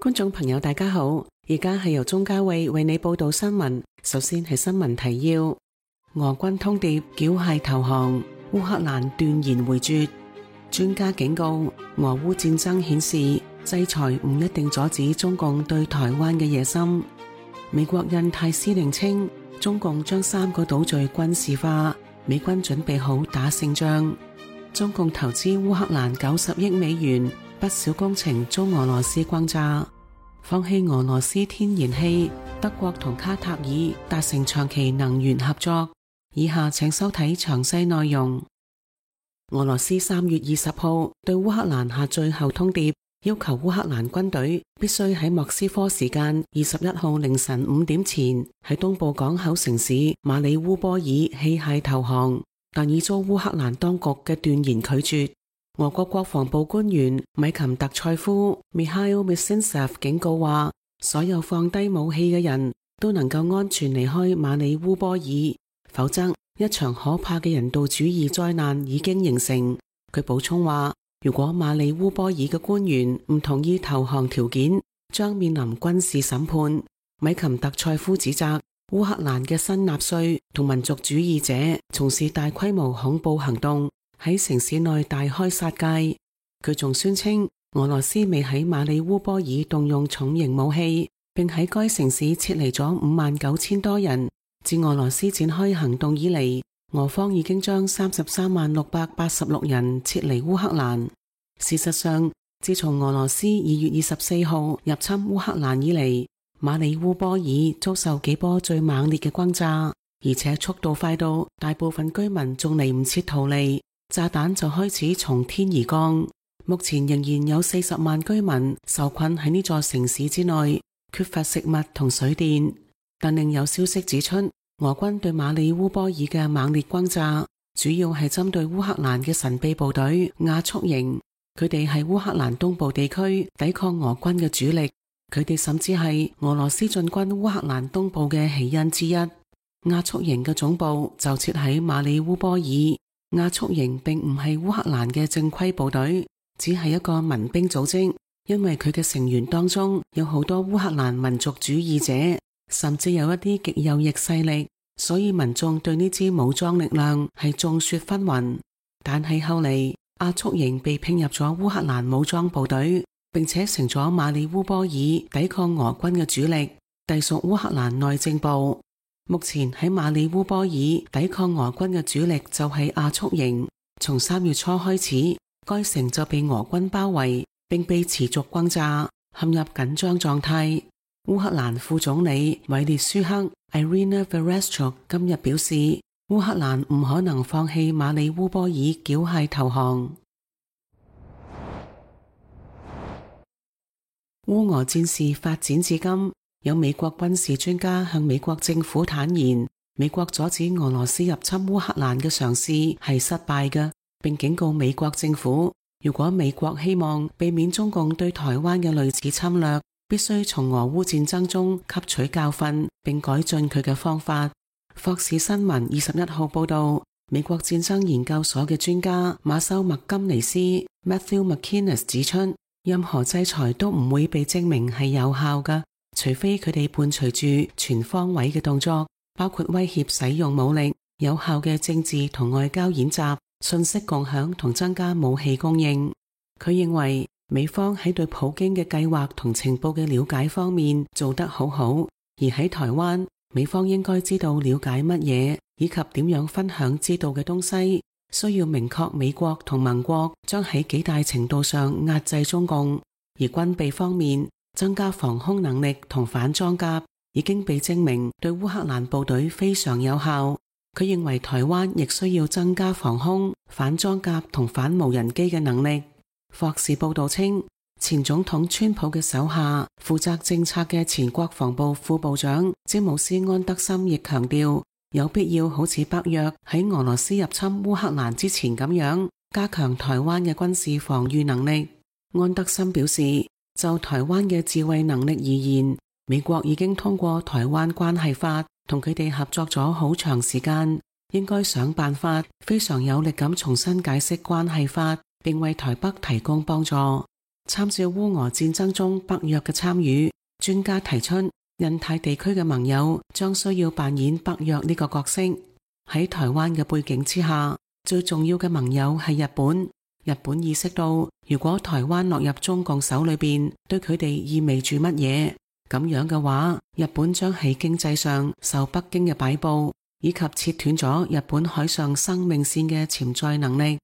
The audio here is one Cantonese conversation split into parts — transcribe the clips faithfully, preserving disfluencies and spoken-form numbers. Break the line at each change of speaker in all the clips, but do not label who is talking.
觀眾朋友大家好，而家係由鍾嘉慧為你報道新聞。首先係新聞提要：俄軍通牒繳械投降，烏克蘭斷然回絕。專家警告，俄烏戰爭顯示制裁唔一定阻止中共對台灣嘅野心。美國印太司令稱，中共將三個島嶼軍事化，美軍準備好打勝仗。中共投資烏克蘭九十億美元，不少工程遭俄羅斯轟炸。放棄俄羅斯天然氣，德國同卡塔爾達成長期能源合作。以下請收睇詳細內容。俄羅斯三月二十號對烏克蘭下最後通牒，要求烏克蘭軍隊必須喺莫斯科時間二十一號凌晨五點前喺東部港口城市馬里烏波爾棄械投降，但已遭烏克蘭當局嘅斷然拒絕。俄國國防部官員米琴特塞夫 Mikhail Mizintsev 警告話，所有放低武器嘅人都能夠安全離開馬里烏波爾，否則一場可怕嘅人道主義災難已經形成。佢補充話，如果馬里烏波爾嘅官員唔同意投降條件，將面臨軍事審判。米琴特塞夫指責烏克蘭嘅新納粹同民族主義者從事大規模恐怖行動，喺城市內大開殺戒。佢仲宣稱俄羅斯未喺馬里烏波爾動用重型武器，並喺該城市撤離咗五萬九千多人。自俄羅斯展開行動以嚟，俄方已經將三十三萬六百八十六人撤離烏克蘭。事實上，自從俄羅斯二月二十四號入侵烏克蘭以嚟，馬里烏波爾遭受幾波最猛烈嘅轟炸，而且速度快到大部分居民仲嚟唔切逃離，炸彈就開始從天而降。目前仍然有四十萬居民受困喺呢座城市之內，缺乏食物同水電。但另有消息指出，俄軍對馬里烏波爾嘅猛烈轟炸，主要係針對烏克蘭嘅神秘部隊亞速營。佢哋係烏克蘭東部地區抵抗俄軍嘅主力，佢哋甚至係俄羅斯進軍烏克蘭東部嘅起因之一。亞速營嘅總部就設喺馬里烏波爾。亞速營並唔係烏克蘭嘅正規部隊，只係一個民兵組織，因為佢嘅成員當中有好多烏克蘭民族主義者，甚至有一啲極右翼勢力，所以民眾對呢支武裝力量係眾說紛紜。但係後嚟亞速營被併入咗烏克蘭武裝部隊，並且成咗馬里烏波爾抵抗俄軍嘅主力，隸屬烏克蘭內政部。目前喺馬里烏波爾抵抗俄軍嘅主力就係亞速營。從三月初開始，該城就被俄軍包圍，並被持續轟炸，陷入緊張狀態。烏克蘭副總理韋列舒克 Irina Vereshchuk 今日表示，烏克蘭唔可能放棄馬里烏波爾繳械投降。烏俄戰事發展至今，有美國軍事專家向美國政府坦言，美國阻止俄羅斯入侵烏克蘭嘅嘗試係失敗嘅，並警告美國政府，如果美國希望避免中共對台灣嘅類似侵略，必須從俄烏戰爭中吸取教訓，並改進佢嘅方法。霍士新聞二十一號報道，美國戰爭研究所嘅專家馬修麥金尼斯 Matthew McInnes 指出，任何制裁都唔會被證明係有效嘅，除非佢哋伴隨住全方位嘅動作，包括威脅使用武力、有效嘅政治同外交演習、信息共享同增加武器供應。佢認為美方喺對普京嘅計劃同情報嘅了解方面做得好好，而喺台灣，美方應該知道了解乜嘢，以及點樣分享知道嘅東西。需要明確美國同盟國將喺幾大程度上壓制中共。而軍備方面，增加防空能力同反裝甲已經被證明對烏克蘭部隊非常有效。佢認為台灣亦需要增加防空、反裝甲同反無人機嘅能力。霍士報道稱，前總統川普嘅手下負責政策嘅前國防部副部長詹姆斯安德森亦強調，有必要好似北約喺俄羅斯入侵烏克蘭之前咁樣，加強台灣嘅軍事防禦能力。安德森表示，就台灣嘅自衛能力而言，美國已經通過台灣關係法同佢哋合作咗好長時間，應該想辦法非常有力咁重新解釋關係法，並為台北提供幫助。參照烏俄戰爭中北約嘅參與，專家提出印太地區嘅盟友將需要扮演北約呢個角色。喺台灣嘅背景之下，最重要嘅盟友係日本。日本意識到，如果台灣落入中共手裏邊，對佢哋意味住乜嘢？咁樣嘅話，日本將喺經濟上受北京嘅擺布，以及切斷咗日本海上生命線嘅潛在能力。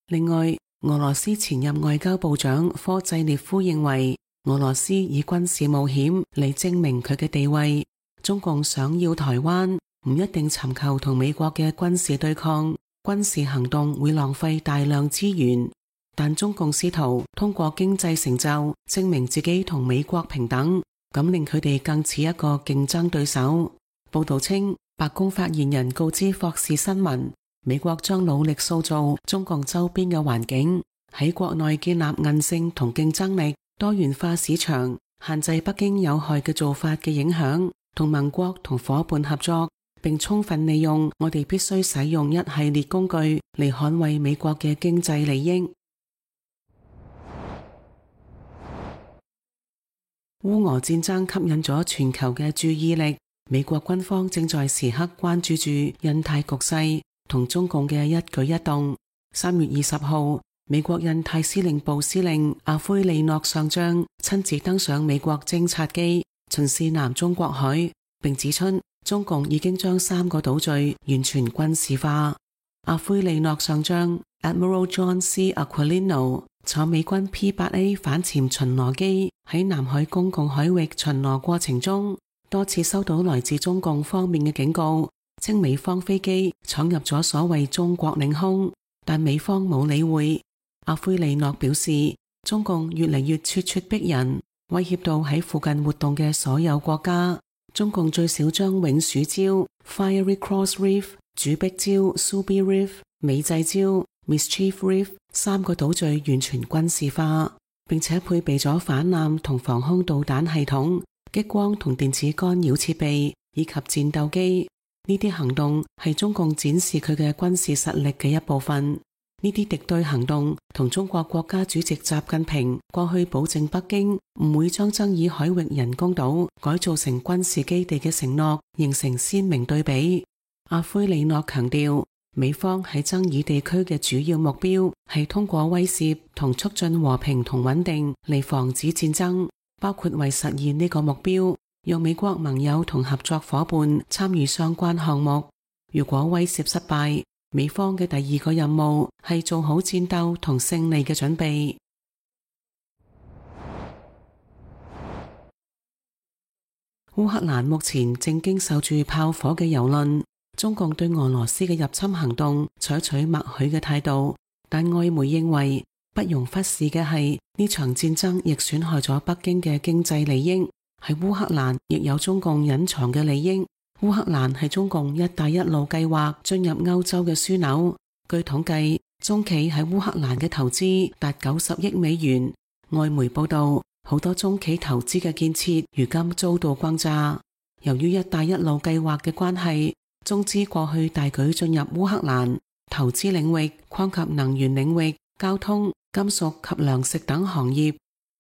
另外，俄羅斯前任外交部長科濟列夫認為，俄羅斯以軍事冒險嚟證明佢嘅地位。中共想要台灣，唔一定尋求同美國嘅軍事對抗，軍事行動會浪費大量資源，但中共試圖通過經濟成就證明自己同美國平等，咁令佢哋更似一個競爭對手。報道稱，白宮發言人告知霍士新聞，美國將努力塑造中共周邊嘅環境，喺國內建立韌性同競爭力，多元化市場，限制北京有害嘅做法嘅影響，同盟國同夥伴合作，並充分利用我哋必須使用一系列工具嚟捍衛美國嘅經濟利益。烏俄戰爭吸引咗全球嘅注意力，美國軍方正在時刻關注住印太局勢同中共嘅一舉一動。三月二十號，美國印太司令部司令阿奎利諾上將親自登上美國偵察機，巡視南中國海，並指出中共已經將三個島嶼完全軍事化。阿奎利諾上將 Admiral John C. Aquilino 坐美軍 P 八 A 反潛巡邏機喺南海公共海域巡邏過程中，多次收到來自中共方面嘅警告，稱美方飛機闖入咗所謂中國領空，但美方冇理會。阿奎利諾表示，中共越嚟越咄咄逼人，威脅到喺附近活動嘅所有國家。中共最少將永暑礁 Fiery Cross Reef、主壁礁 Subi Reef、美濟礁 Mischief Reef 三個島嶼完全軍事化，並且配備咗反艦同防空導彈系統、激光同電子干擾設備以及戰鬥機。呢啲行動係中共展示佢嘅軍事實力嘅一部分。呢啲敵對行動同中國國家主席習近平過去保證北京唔會將爭議海域人工島改造成軍事基地嘅承諾形成鮮明對比。阿奎利諾強調，美方喺爭議地區嘅主要目標係通過威懾同促進和平同穩定嚟防止戰爭，包括為實現呢個目標，讓美國盟友同合作夥伴參與相關項目。如果威懾失敗，美方嘅第二個任務係做好戰鬥同勝利嘅準備。烏克蘭目前正經受住炮火嘅蹂躪，中共對俄羅斯嘅入侵行動採取默許嘅態度，但外媒認為不容忽視嘅係呢場戰爭亦損害咗北京嘅經濟利益，喺烏克蘭亦有中共隱藏嘅利益。烏克蘭係中共一帶一路計劃進入歐洲嘅樞紐。據統計，中企喺烏克蘭嘅投資達九十億美元。外媒報道，好多中企投資嘅建設如今遭到轟炸。由於一帶一路計劃嘅關係，中資過去大舉進入烏克蘭，投資領域擴及能源領域、交通、金屬及糧食等行業。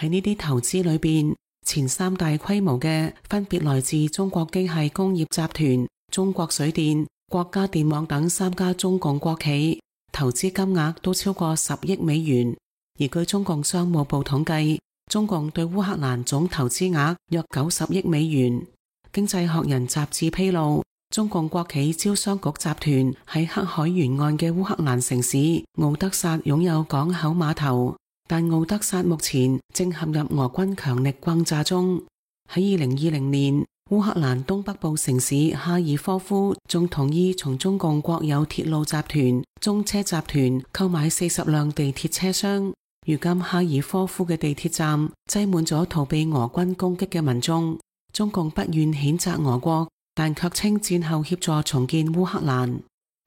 喺呢啲投資裏邊，前三大規模嘅分別來自中國機械工業集團、中國水電、國家電網等三家中共國企，投資金額都超過十億美元。而據中共商務部統計，中共對烏克蘭總投資額約九十億美元。經濟學人雜誌披露，中共國企招商局集團喺黑海沿岸嘅烏克蘭城市敖德薩擁有港口碼頭。但敖德薩目前正陷入俄軍強力轟炸中。喺二零二零年，烏克蘭東北部城市哈爾科夫仲同意從中共國有鐵路集團中車集團購買四十輛地鐵車廂。如今哈爾科夫嘅地鐵站擠滿咗逃避俄軍攻擊嘅民眾。中共不願譴責俄國，但卻稱戰後協助重建烏克蘭。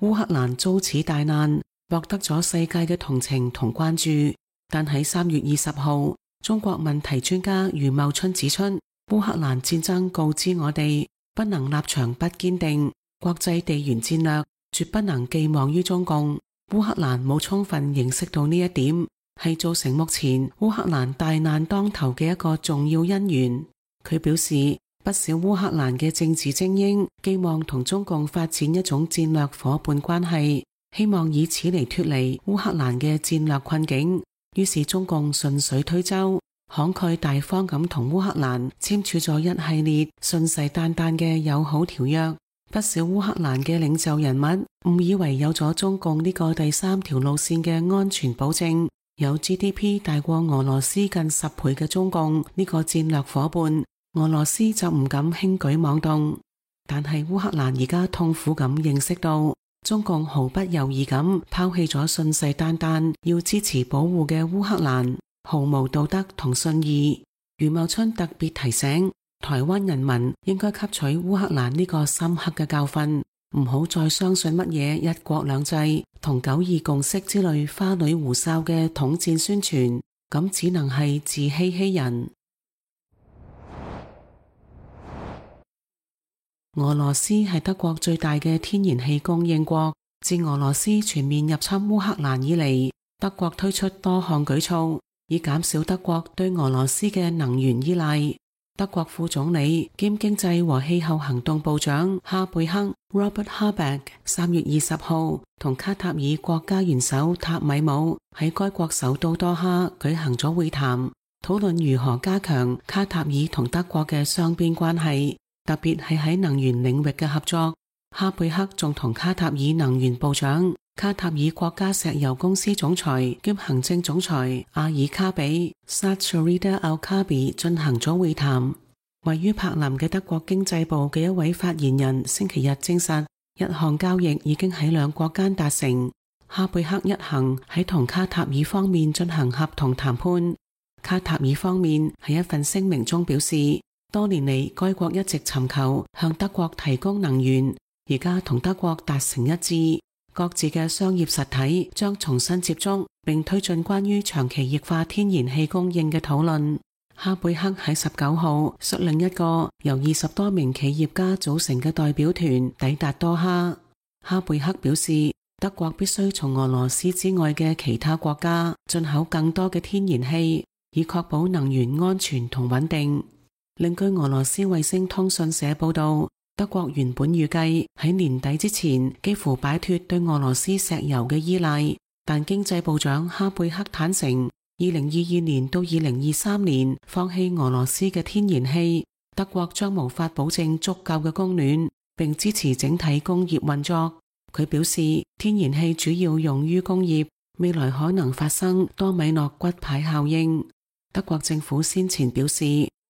烏克蘭遭此大難，獲得咗世界嘅同情同關注。但喺三月二十號，中國問題專家余茂春指出，烏克蘭戰爭告知我哋，不能立場不堅定，國際地緣戰略絕不能寄望於中共。烏克蘭冇充分認識到呢一點，係造成目前烏克蘭大難當頭嘅一個重要因緣。佢表示，不少烏克蘭嘅政治精英寄望同中共發展一種戰略夥伴關係，希望以此嚟脫離烏克蘭嘅戰略困境。於是中共順水推舟，慷慨大方咁同烏克蘭簽署咗一系列信誓旦旦嘅友好條約。不少烏克蘭嘅領袖人物誤以為有咗中共呢個第三條路線嘅安全保證，有 G D P 大過俄羅斯近十倍嘅中共呢個戰略夥伴，俄羅斯就唔敢輕舉妄動。但係烏克蘭而家痛苦咁認識到，中共毫不猶豫咁拋棄咗信誓旦旦要支持保護嘅烏克蘭，毫無道德同信義。余茂春特別提醒台灣人民應該吸取烏克蘭呢個深刻嘅教訓，唔好再相信乜嘢一國兩制同九二共識之類花裡胡哨嘅統戰宣傳，咁只能係自欺欺人。俄羅斯係德國最大嘅天然氣供應國，自俄羅斯全面入侵烏克蘭以嚟，德國推出多項舉措，以減少德國對俄羅斯嘅能源依賴。德國副總理兼經濟和氣候行動部長哈貝克 Robert Habeck 三月二十號同卡塔爾國家元首塔米姆喺該國首都多哈舉行咗會談，討論如何加強卡塔爾同德國嘅雙邊關係，特別係喺能源領域嘅合作。哈貝克仲同卡塔爾能源部長、卡塔爾國家石油公司總裁兼行政總裁阿爾卡比 Saad Sharida Al-Kabi 進行咗會談。位於柏林嘅德國經濟部嘅一位發言人星期日證實，一項交易已經喺兩國間達成。哈貝克一行喺同卡塔爾方面進行合同談判。卡塔爾方面喺一份聲明中表示，多年嚟該國一直尋求向德國提供能源，而家同德國達成一致，各自嘅商業實體將重新接觸，並推進關於長期液化天然氣供應嘅討論。哈貝克喺十九號率領一個由二十多名企業家組成嘅代表團抵達多哈。哈貝克表示，德國必須從俄羅斯之外嘅其他國家進口更多嘅天然氣，以確保能源安全同穩定。另據俄羅斯衛星通訊社報道，德國原本預計喺年底之前幾乎擺脫對俄羅斯石油嘅依賴，但經濟部長哈貝克坦承，二零二二年到二零二三年放棄俄羅斯嘅天然氣，德國將無法保證足夠嘅供暖，並支持整體工業運作。佢表示，天然氣主要用於工業，未來可能發生多米諾骨牌效應。德國政府先前表示，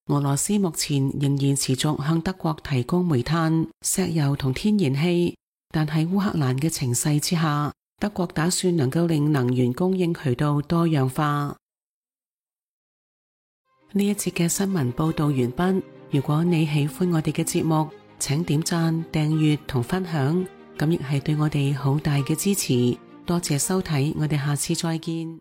俄羅斯目前仍然持續向德國提供煤炭、石油同天然氣，但喺烏克蘭嘅情勢之下，德國打算能夠令能源供應渠道多樣化。呢一節嘅新聞報道完畢。如果你喜歡我哋嘅節目，請點讚、訂閱同分享，咁亦係對我哋好大嘅支持。多謝收睇，我哋下次再見。